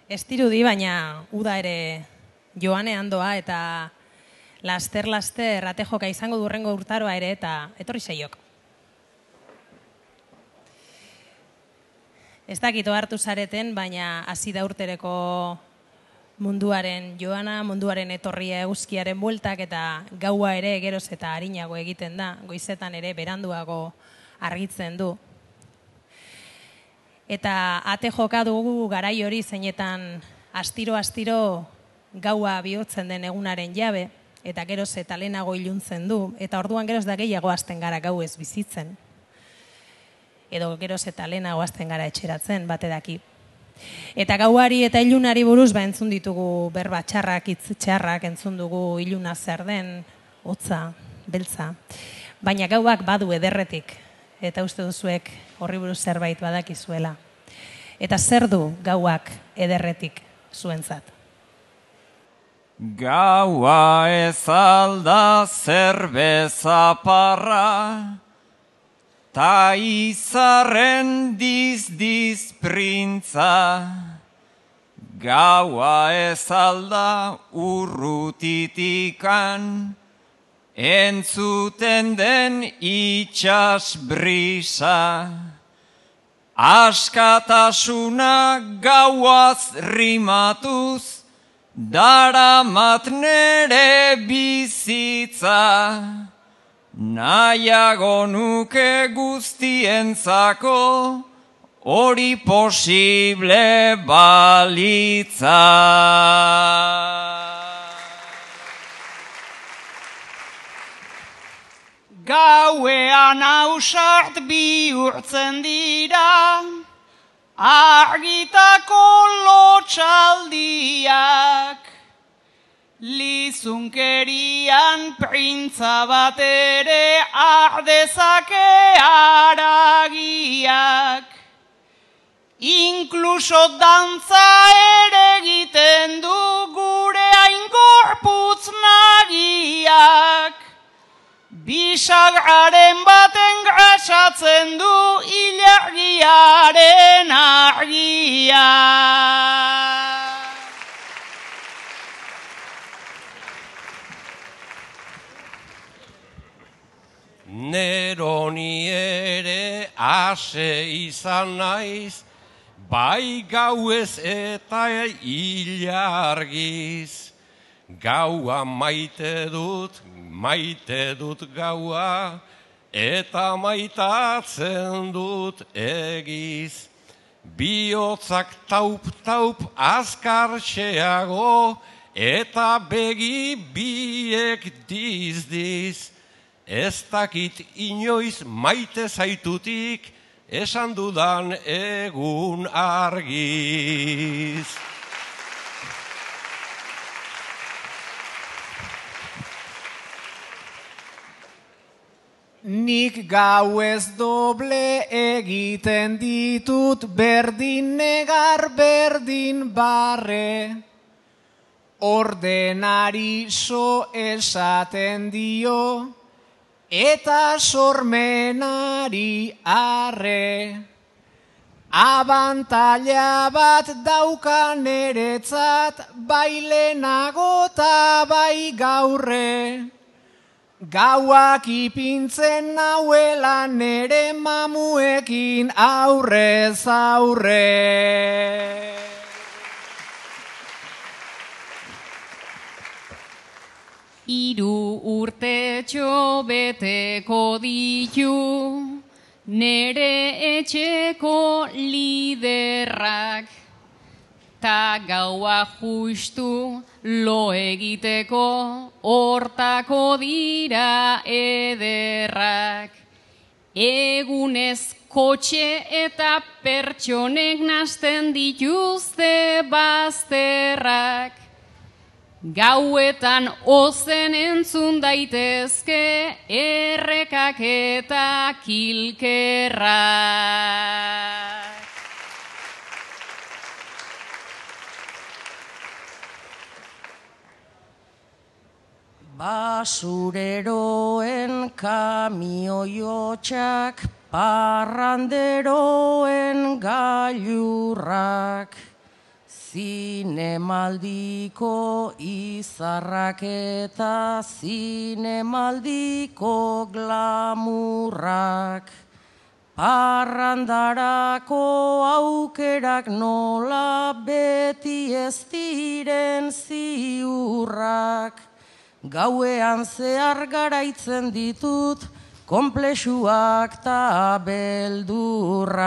Ez dirudi, baina uda ere joanean doa eta laster atejoka izango durrengo urtaroa ere eta etorri zeiok. Ez dakito hartu zareten, baina hasi da urtereko munduaren joana, munduaren etorria eguzkiaren bueltak eta gaua ere geroz eta arinago egiten da, goizetan ere beranduago argitzen du. Eta ate joka dugu garai hori zeinetan astiro gaua bihurtzen den egunaren jabe, eta geroz eta lehenago iluntzen du, eta orduan geroz da gehiago hasten gara gau ez bizitzen. Edo geroz eta lehenago hasten gara etxeratzen, bate daki. Eta gauari eta ilunari buruz entzun ditugu berba txarrak, hitz txarrak, entzun dugu iluna zer den, hotza, beltza. Baina gauak badu ederretik, eta uste duzuek horri buruz zerbait badakizuela. Eta zer du gauak ederretik zuentzat? Gaua ez alda zerbeza parra, ta izarren diz printza. Gaua ez alda urrutitikan, entzuten den itxas brisa. Askatasuna gauaz rimatuz, daramat nere bizitza. Nahiago nuke guztientzako, hori posible balitza. Gauean ausart bihurtzen dira, argitako lotxaldiak. Lizunkerian printza bat ere ardezake haragiak. Inkluso dantza ere egiten du gure aingorputz nagiak. Bisagraren baten grasatzen du ilargiaren argia. Neroni ere ase izan naiz, bai gauez eta ilargiz. Gaua maite dut gaua, eta maitatzen dut egiz. Bihotzak taup azkartxeago, eta begi biek diz. Ez dakit inoiz maite zaitutik, esan dudan egun argiz. Nik gauez doble egiten ditut, berdin negar, berdin barre. Ordenari so esaten dio, eta sormenari arre. Abantaila bat daukan eretzat, bai lehenago eta bai gaurre. Gauak ipintzen nauela nere mamuekin aurrez aurre. Hiru urtetxo beteko ditu nere etxeko liderrak. Ta gaua justu lo egiteko hortako dira ederrak. Egunez kotxe eta pertsonek nasten dituzte bazterrak. Gauetan ozen entzun daitezke errekak eta kilkerrak. Basureroen kamioiotxak, parranderoen gailurrak, Zinemaldiko izarrak eta zinemaldiko glamurrak, parrandarako aukerak nola beti ez diren ziurrak, gauean zehar garaitzen ditut konplexuak ta beldurrak.